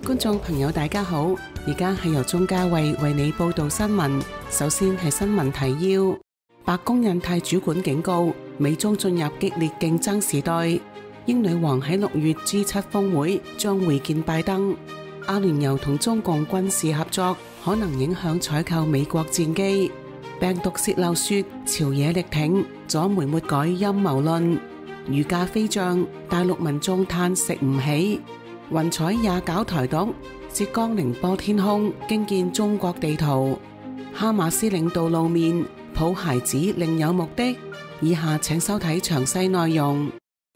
觀眾朋友大家好，而家係由鍾嘉慧為你報道新聞。首先係新聞提要：白宮印太主管警告，美中進入激烈競爭時代。英女王喺6月 G7 峰會將會見拜登。阿聯酋同中共軍事合作可能影響採購美國戰機。病毒洩漏說朝野力挺，左媒抹改陰謀論。魚價飛漲，大陸民眾嘆食唔起。雲彩也搞台獨，浙江寧波天空驚見中國地圖。哈馬斯領導露面，抱孩子另有目的。以下請收睇詳細內容。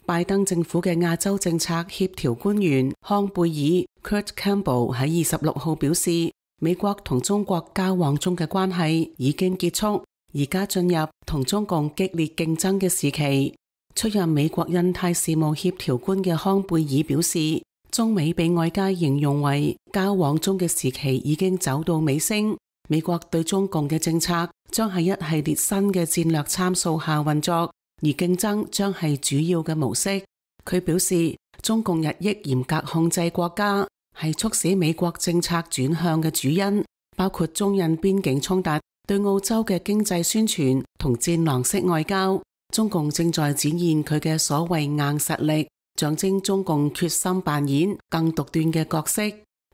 拜登政府嘅亞洲政策協調官員康貝爾 Kurt Campbell 喺26號表示，美國同中國交往中嘅關係已經結束，而家進入同中共激烈競爭嘅時期。出任美國印太事務協調官嘅康貝爾表示，中美被外界形容為交往中嘅時期已經走到尾聲，美國對中共嘅政策將喺一系列新嘅戰略參數下運作，而競爭將係主要嘅模式。佢表示，中共日益嚴格控制國家係促使美國政策轉向嘅主因，包括中印邊境衝突、對澳洲嘅經濟宣傳同戰狼式外交。中共正在展現佢嘅所謂硬實力，象徵中共決心扮演更獨斷嘅角色。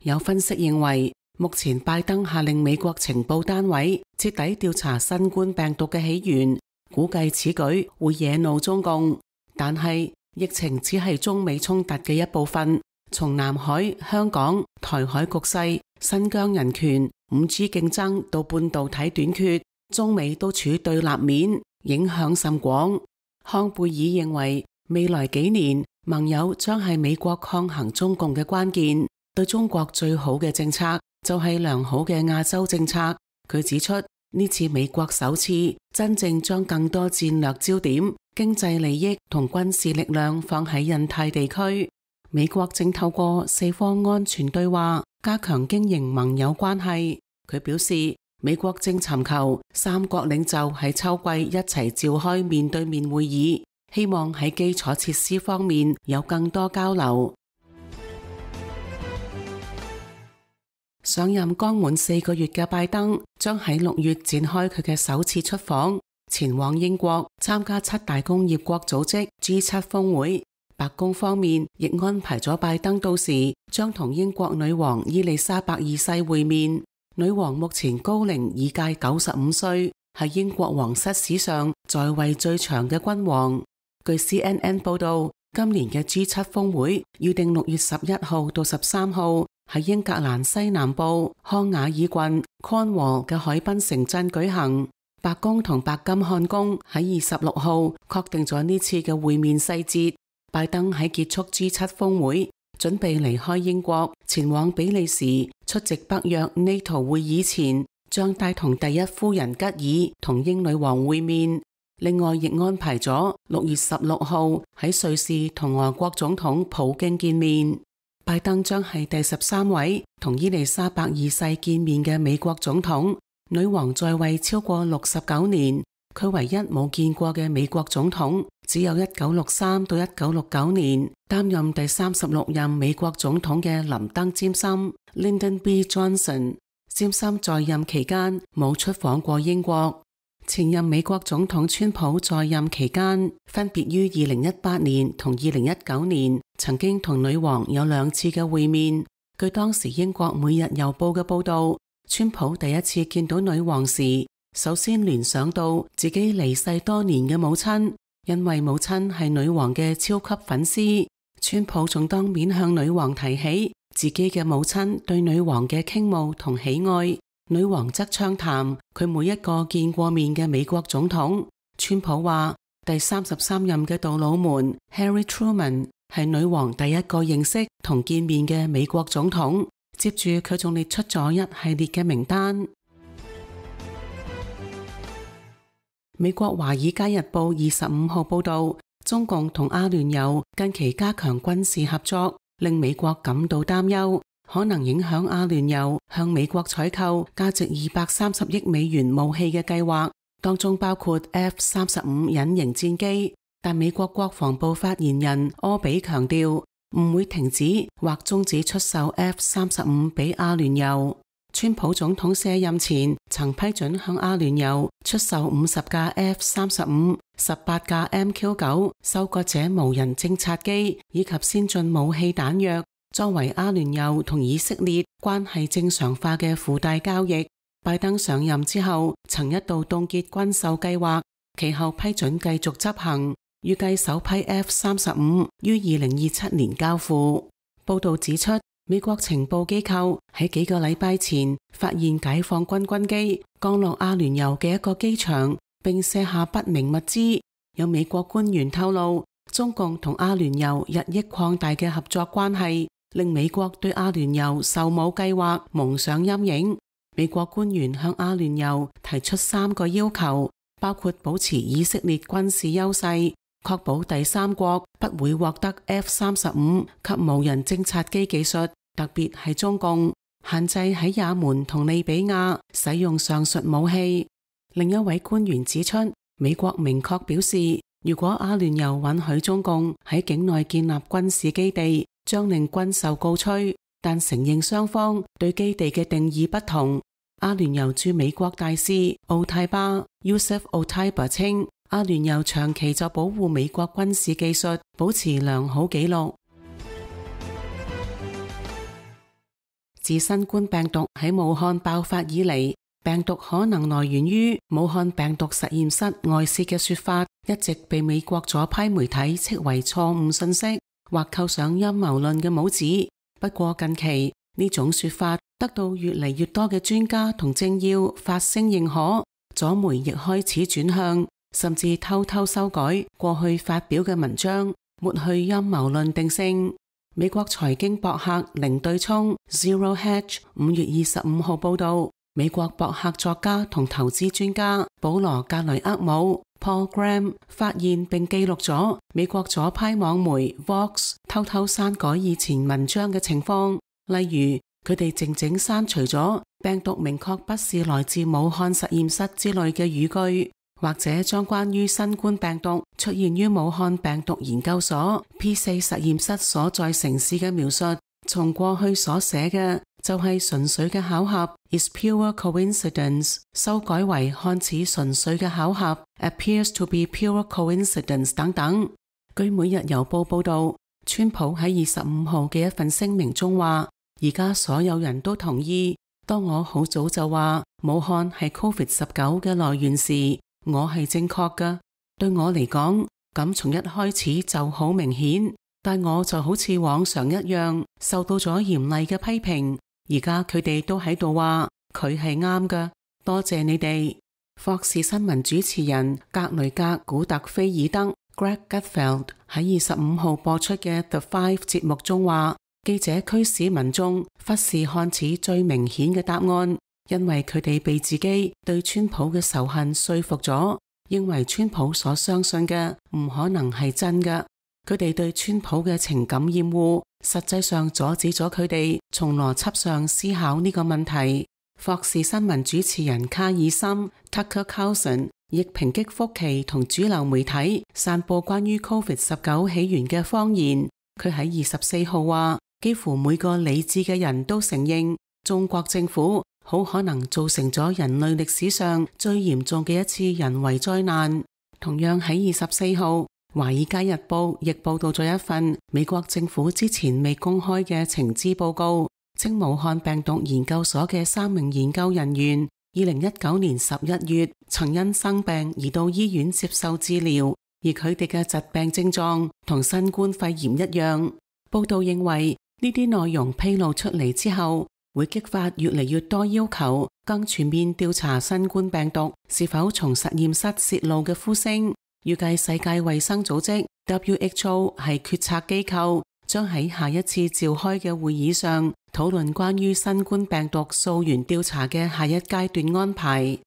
有分析認為，目前拜登下令美國情報單位徹底調查新冠病毒嘅起源，估計此舉會惹怒中共。但係疫情只係中美衝突嘅一部分，從南海、香港、台海局勢、新疆人權、5G 競爭到半導體短缺，中美都處對立面，影響甚廣。康貝爾認為，未來幾年盟友將係美國抗衡中共嘅關鍵。對中國最好嘅政策就係良好嘅亞洲政策。佢指出，呢次美國首次真正將更多戰略焦點、經濟利益同軍事力量放喺印太地區。美國正透過四方安全對話加強經營盟友關係。佢表示，美國正尋求三國領袖喺秋季一齊召開面對面會議，希望喺基礎設施方面有更多交流。上任剛滿4個月嘅拜登將喺6月展開佢嘅首次出訪，前往英國參加7大工業國組織 G7 峰會。白宮方面亦安排咗拜登到時將同英國女王伊麗莎白二世會面。女王目前高齡已屆95歲，係英國皇室史上在位最長嘅君王。據 CNN 報道，今年嘅 G7 峰會預定6月11號到13號喺英格蘭西南部康瓦爾郡 Cornwall 嘅海濱城鎮舉行。白宮同白金漢宮喺26號確定咗呢次嘅會面細節。拜登喺結束 G7 峰會，準備離開英國前往比利時出席北約 NATO 會議前，將帶同第一夫人吉爾同英女王會面。另外亦安排咗6月16號喺瑞士同俄國總統普京見面。拜登將係第13位同伊麗莎白二世見面嘅美國總統。女王在位超過69年，佢唯一冇見過嘅美國總統只有1963到1969年擔任第36任美國總統嘅林登詹森 Lyndon B. Johnson。詹森在任期間冇出訪過英國。前任美國總統川普在任期間，分別於2018年同2019年曾經同女王有2次嘅會面。據當時英國每日郵報嘅報道，川普第一次見到女王時，首先聯想到自己離世多年嘅母親，因為母親係女王嘅超級粉絲。川普仲當面向女王提起自己嘅母親對女王嘅傾慕同喜愛。女王則暢談佢每一個見過面嘅美國總統。川普話，第33任嘅杜魯門 Harry Truman 係女王第一個認識同見面嘅美國總統。接住佢仲列出咗一系列嘅名單。美國華爾街日報25號報道，中共同阿聯酋近期加強軍事合作，令美國感到擔憂，可能影響阿聯酋向美國採購價值230億美元武器嘅計劃，當中包括 F-35隱形戰機。但美國國防部發言人柯比強調，唔會停止或終止出售 F-35俾阿聯酋。川普總統卸任前曾批准向阿聯酋出售50架 F-35、18架 MQ-9 收割者無人偵察機以及先進武器彈藥，作為阿聯酋同以色列關係正常化嘅附帶交易。拜登上任之後曾一度凍結軍售計劃，其後批准繼續執行，預計首批 F-35於2027年交付。報道指出，美國情報機構喺幾個禮拜前發現解放軍軍機降落阿聯酋嘅一個機場，並卸下不明物資。有美國官員透露，中共同阿聯酋日益擴大嘅合作關係，令美國對阿聯酋售武計劃蒙上陰影。美國官員向阿聯酋提出3個要求，包括保持以色列軍事優勢，確保第三國不會獲得 F-35及無人偵察機技術，特別係中共，限制喺也門同利比亞使用上述武器。另一位官員指出，美國明確表示，如果阿聯酋允許中共喺境內建立軍事基地，將令軍售告吹，但承認雙方對基地嘅定義不同。阿聯酋駐美國大使奧泰巴 Yusuf Otaiba 稱，阿聯酋長期就保護美國軍事技術保持良好紀錄。自新冠病毒喺武漢爆發以嚟，病毒可能來源於武漢病毒實驗室外泄嘅說法，一直被美國左派媒體斥為錯誤信息，或扣上陰謀論嘅帽子。不過近期呢種說法得到越嚟越多嘅專家同政要發聲認可，左媒亦開始轉向，甚至偷偷修改過去發表嘅文章，抹去陰謀論定性。美國財經博客零對沖 Zero Hedge 5月25號報道，美國博客作家同投資專家保羅格雷厄姆 Paul Graham 發現並記錄咗美國左派網媒 Vox 偷偷刪改以前文章嘅情況，例如佢哋靜靜刪除咗病毒明確不是來自武漢實驗室之類嘅語句，或者將關於新冠病毒出現於武漢病毒研究所 P4 實驗室所在城市嘅描述，從過去所寫嘅就係純粹嘅巧合 is pure coincidence， 修改為看似純粹嘅巧合 appears to be pure coincidence 等等。據每日郵報報道，川普喺25號嘅一份聲明中話，而家所有人都同意，當我好早就話武漢係 COVID-19 嘅來源時，我係正確㗎。對我嚟講，咁從一開始就好明顯，但我就好似往常一樣受到咗嚴厲嘅批評。而家佢哋都喺度話佢係啱㗎，多謝你哋。霍士新聞主持人格雷格古特菲爾德 Greg Gutfeld 喺25號播出嘅 The Five 節目中話，記者驅使民眾忽視看似最明顯嘅答案，因為佢哋被自己對川普嘅仇恨說服咗，認為川普所相信嘅唔可能係真嘅。佢哋對川普嘅情感厭惡，實際上阻止咗佢哋從邏輯上思考呢個問題。霍士新聞主持人卡爾森 Tucker Carlson 亦抨擊福奇同主流媒體散播關於 COVID-19 起源嘅謊言。佢喺24號話，幾乎每個理智嘅人都承認，中國政府好可能造成咗人類歷史上最嚴重嘅一次人為災難。同樣喺24號，華爾街日報亦報道咗一份美國政府之前未公開嘅情資報告，稱武漢病毒研究所嘅3名研究人員2019年11月曾因生病而到醫院接受治療，而佢哋嘅疾病症狀同新冠肺炎一樣。報道認為呢啲內容披露出嚟之後，會激發越嚟越多要求更全面調查新冠病毒是否從實驗室泄露嘅呼聲。預計世界衛生組織 WHO 係決策機構，將喺下一次召開嘅會議上討論關於新冠病毒溯源調查嘅下一階段安排。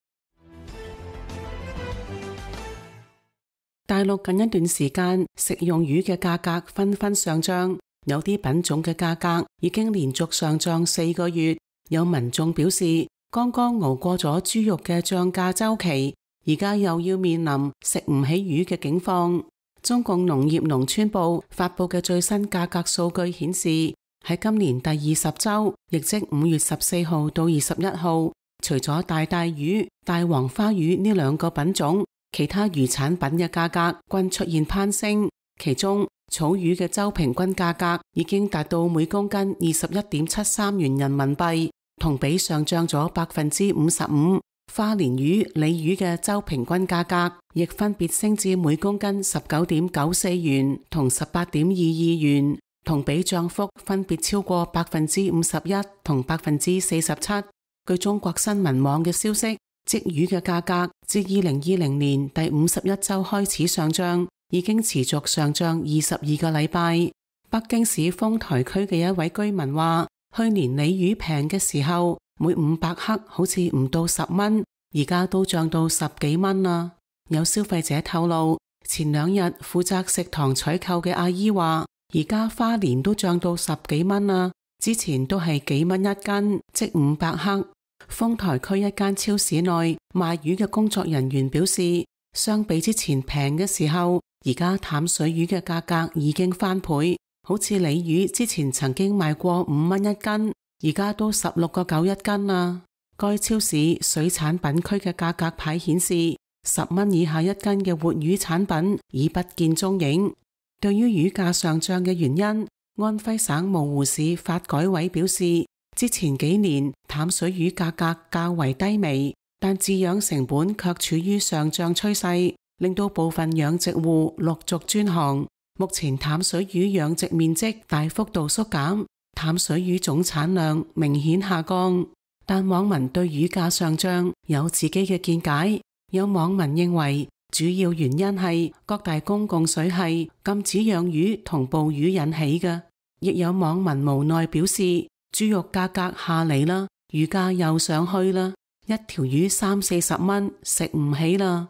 大陸近一段時間食用魚嘅價格紛紛上漲，有啲品種嘅價格已經連續上漲4個月。有民眾表示，剛剛熬過咗豬肉嘅漲價週期，而家又要面臨食唔起魚嘅境況。中共農業農村部發佈嘅最新價格數據顯示，喺今年第20週，亦即5月14號到21號，除咗大帶魚、大黃花魚呢兩個品種，其他魚產品嘅價格均出現攀升。其中草魚嘅週平均價格已經達到每公斤21.73元人民幣，同比上漲咗55%。花鰱魚、鯉魚嘅週平均價格亦分別升至每公斤19.94元同18.22元，同比漲幅分別超過51%同47%。據中國新聞網嘅消息，鯽魚嘅價格自2020年第51週開始上漲，已經持續上漲22個禮拜。北京市豐台區嘅一位居民話，去年鯉魚平嘅時候，每500克好似唔到10蚊，而家都漲到10幾蚊啦。有消費者透露，前2日負責食堂採購嘅阿姨話，而家花鰱都漲到10幾蚊啦，之前都係幾蚊一斤，即500克。豐台區一間超市內賣魚嘅工作人員表示，相比之前平嘅時候，而家淡水魚嘅價格已經翻倍，好似鯉魚之前曾經賣過5蚊一斤，而家都16.9一斤啦。該超市水產品區嘅價格牌顯示，10蚊以下一斤嘅活魚產品已不見蹤影。對於魚價上漲嘅原因，安徽省蕪湖市發改委表示，之前幾年淡水魚價格較為低微，但飼養成本卻處於上漲趨勢，令到部分養殖戶陸續轉行。目前淡水魚養殖面積大幅度縮減，淡水魚總產量明顯下降。但網民對魚價上漲有自己嘅見解，有網民認為主要原因係各大公共水系禁止養魚同捕魚引起嘅，亦有網民無奈表示，豬肉價格下嚟啦，魚價又上去啦，一條魚30-40蚊，食唔起啦。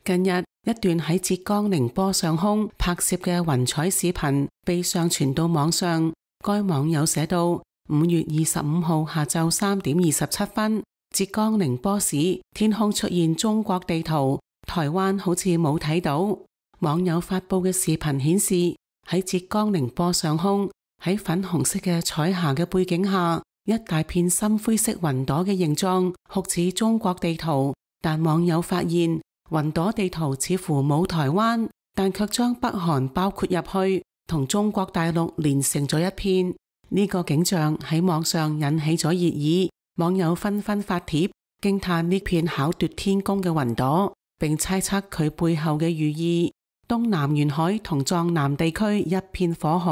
近日，一段喺浙江寧波上空拍攝嘅雲彩視頻被上傳到網上。該網友寫到，5月25號下晝3點27分，浙江寧波市天空出現中國地圖，台灣好似冇睇到。網友發佈嘅視頻顯示，喺浙江寧波上空，喺粉紅色嘅彩霞嘅背景下，一大片深灰色雲朵嘅形狀酷似中國地圖，但網友發現雲朵地圖似乎冇台灣，但卻將北韓包括入去，同中國大陸連成咗一片。呢個景象喺網上引起咗熱議，網友紛紛發帖驚嘆呢片巧奪天工嘅雲朵，並猜測佢背後嘅寓意。東南沿海同藏南地區一片火海，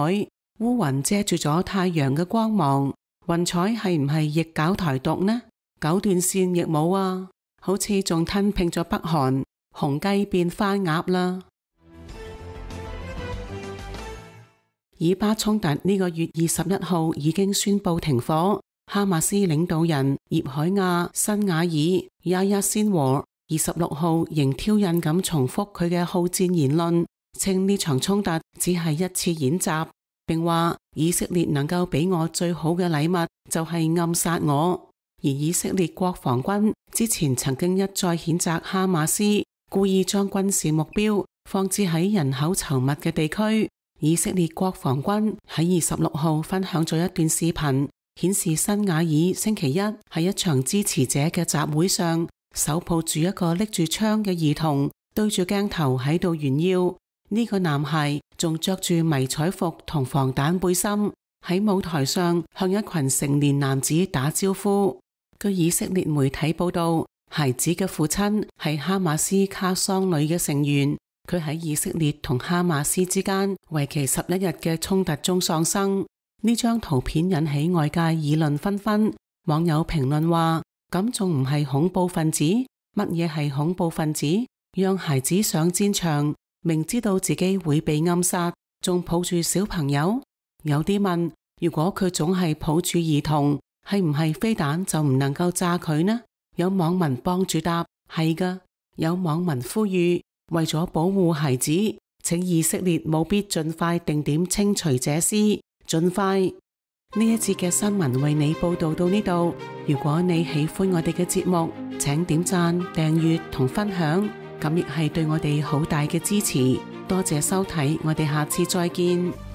烏雲遮住咗太陽嘅光芒。雲彩係唔係亦搞台獨呢？九段線亦冇啊，好似仲吞併咗北韓，紅雞變番鴨啦。以巴衝突呢個月21號已經宣布停火，哈馬斯領導人葉海亞·辛瓦爾Yahya Sinwar 26號仍挑釁咁重複佢嘅好戰言論，稱呢場衝突只係一次演習，並話以色列能夠俾我最好嘅禮物就係暗殺我。而以色列國防軍之前曾經一再譴責哈馬斯故意將軍事目標放置喺人口稠密嘅地區。以色列國防軍喺26號分享咗一段視頻，顯示辛瓦爾星期一喺一場支持者嘅集會上，手抱住一個拎住槍嘅兒童，對住鏡頭喺度炫耀。呢個男孩仲着住迷彩服同防彈背心，喺舞台上向一群成年男子打招呼。據以色列媒體報道，孩子嘅父親係哈馬斯卡桑旅嘅成員。佢喺以色列同哈馬斯之間為期11日嘅衝突中喪生。呢張圖片引起外界議論紛紛，網友評論話：咁仲唔係恐怖分子？乜嘢係恐怖分子？讓孩子上戰場，明知道自己會被暗殺，仲抱住小朋友？有啲問：如果佢總係抱住兒童，係唔係飛彈就唔能夠炸佢呢？有網民幫住答：係㗎。有網民呼籲，為咗保護孩子，請以色列務必盡快定點清除這屍，盡快。呢一節嘅新聞為你報道到呢度。如果你喜歡我哋嘅節目，請點讚、訂閱同分享，咁亦係對我哋好大嘅支持。多謝收睇，我哋下次再見。